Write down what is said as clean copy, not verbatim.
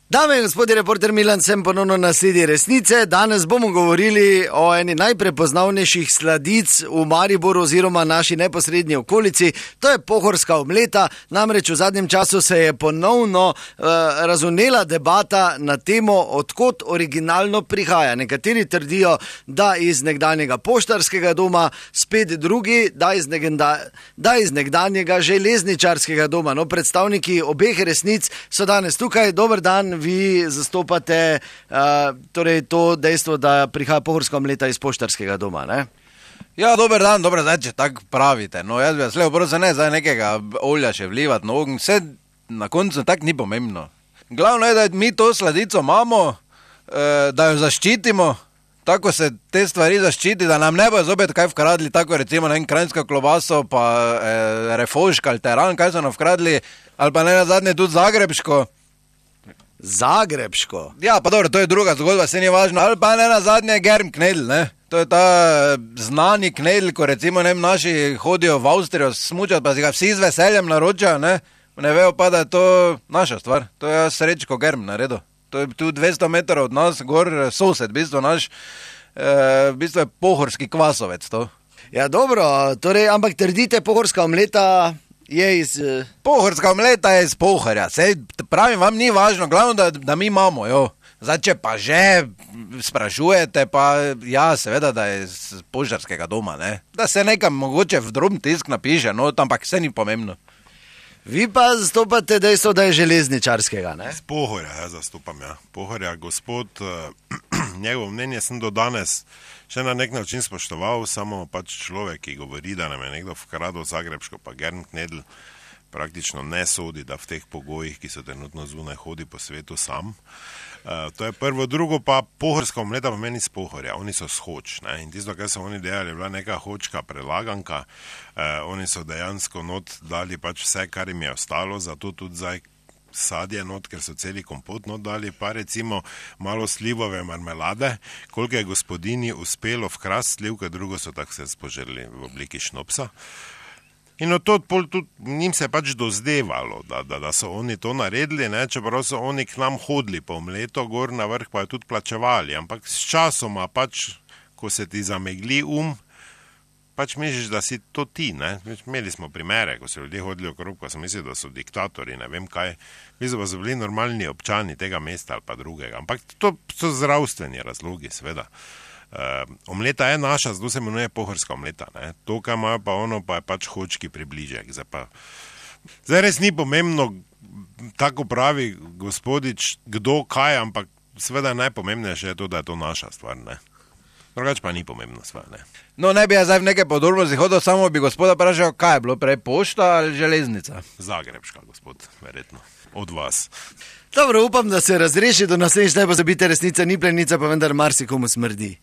Dame in gospodje, reporter Milan, sem ponovno na sledi resnice. Danes bomo govorili o eni najprepoznavnejših sladic v Mariboru oziroma naši neposrednji okolici. To je pohorska omleta. Namreč v zadnjem času se je ponovno razvnela debata na temo, odkot originalno prihaja. Nekateri trdijo, da iz nekdanjega poštarskega doma, spet drugi, da iz nekdanjega železničarskega doma. No, predstavniki obeh resnic so danes tukaj. Dober dan. Vi zastopate torej to dejstvo, da prihaja pohorska omleta iz poštarskega doma, ne? Ja, dober dan, zdaj, če tako pravite. No, jaz bi vas lepo prosil, ne zdaj nekega olja še vlivati na ogenj, vse na koncu tako ni pomembno. Glavno je, da mi to sladico imamo, da jo zaščitimo, tako se te stvari zaščiti, da nam ne bojo zopet kaj vkradli, tako recimo na kranjsko klobaso, pa refoška ali teran, kaj so nam vkradli, ali pa ne nazadnje tudi zagrebško. Zagrebško? Ja, pa dobro, to je druga zgodba, se ni važno. Ali pa ne nazadnje germ knedl, ne? To je ta znani knedl, ko recimo naši hodijo v Avstrijo smučati, pa si ga vsi z veseljem naročajo, ne? Ne vejo pa, da je to naša stvar. To je Srečko germ naredil. To je tu 200 metrov od nas, gor sosed, v bistvu naš, v bistvu je pohorski kvasovec to. Ja, dobro, torej, ampak trdite, pohorska omleta je iz... Pohorska omleta je iz Pohorja, sej pravim, vam ni važno, glavno, da mi imamo, jo. Zdaj, če pa že sprašujete, pa ja, seveda, da je iz poštarskega doma, ne. Da se nekam mogoče v drobni tisk napiše, no, ampak vse ni pomembno. Vi pa zastopate dejstvo, da je železničarskega, ne? Z Pohorja, jaz zastopam, ja. Pohorja, gospod, njegovo mnenje sem do danes še na nek način spoštoval, samo pač človek, ki govori, da nam je nekdo vkradil zagrebško, pa germ knedl, praktično ne sodi, da v teh pogojih, ki so trenutno zunaj, hodi po svetu sam. To je prvo, drugo pa pohorska omleta pomeni z Pohorja, oni so shoč, ne, in tisto, kar so oni delali, je bila neka hočka prelaganka, oni so dejansko not dali pač vse, kar jim je ostalo, zato tudi zdaj sadje not, ker so celi kompot not dali, pa recimo malo slivove marmelade, koliko je gospodini uspelo vkrast slivke, drugo so tako se spoželi v obliki šnopsa. In od to tudi njim se pač dozdevalo, da so oni to naredili, ne, čeprav so oni k nam hodili po omleto, gor na vrh pa jo tudi plačevali, ampak s časoma pač, ko se ti zamegli pač misliš, da si to ti, ne. Imeli smo primere, ko so ljudje hodili okrog, pa sem mislil, da so diktatori, ne vem kaj. Mislim, da so bili normalni občani tega mesta ali pa drugega, ampak to so zdravstveni razlogi, seveda. Omleta je naša, zato se imenuje pohorska omleta, ne. To, kaj imajo pa ono, pa je pač hočki približek. Zdaj res ni pomembno, tako pravi gospodič, kdo kaj, ampak seveda najpomembnejše je to, da je to naša stvar, ne. Drugač pa ni pomembna stvar, ne. No, ne bi jaz zdaj v neke podrobnosti hodil, samo bi gospoda vprašal, kaj je bilo prej, pošta ali železnica? Zagrebška, gospod, verjetno. Od vas. Dobro, upam, da se razreši do naslednjič, ne pozabite, resnica ni plenica, pa vendar marsikomu smrdi.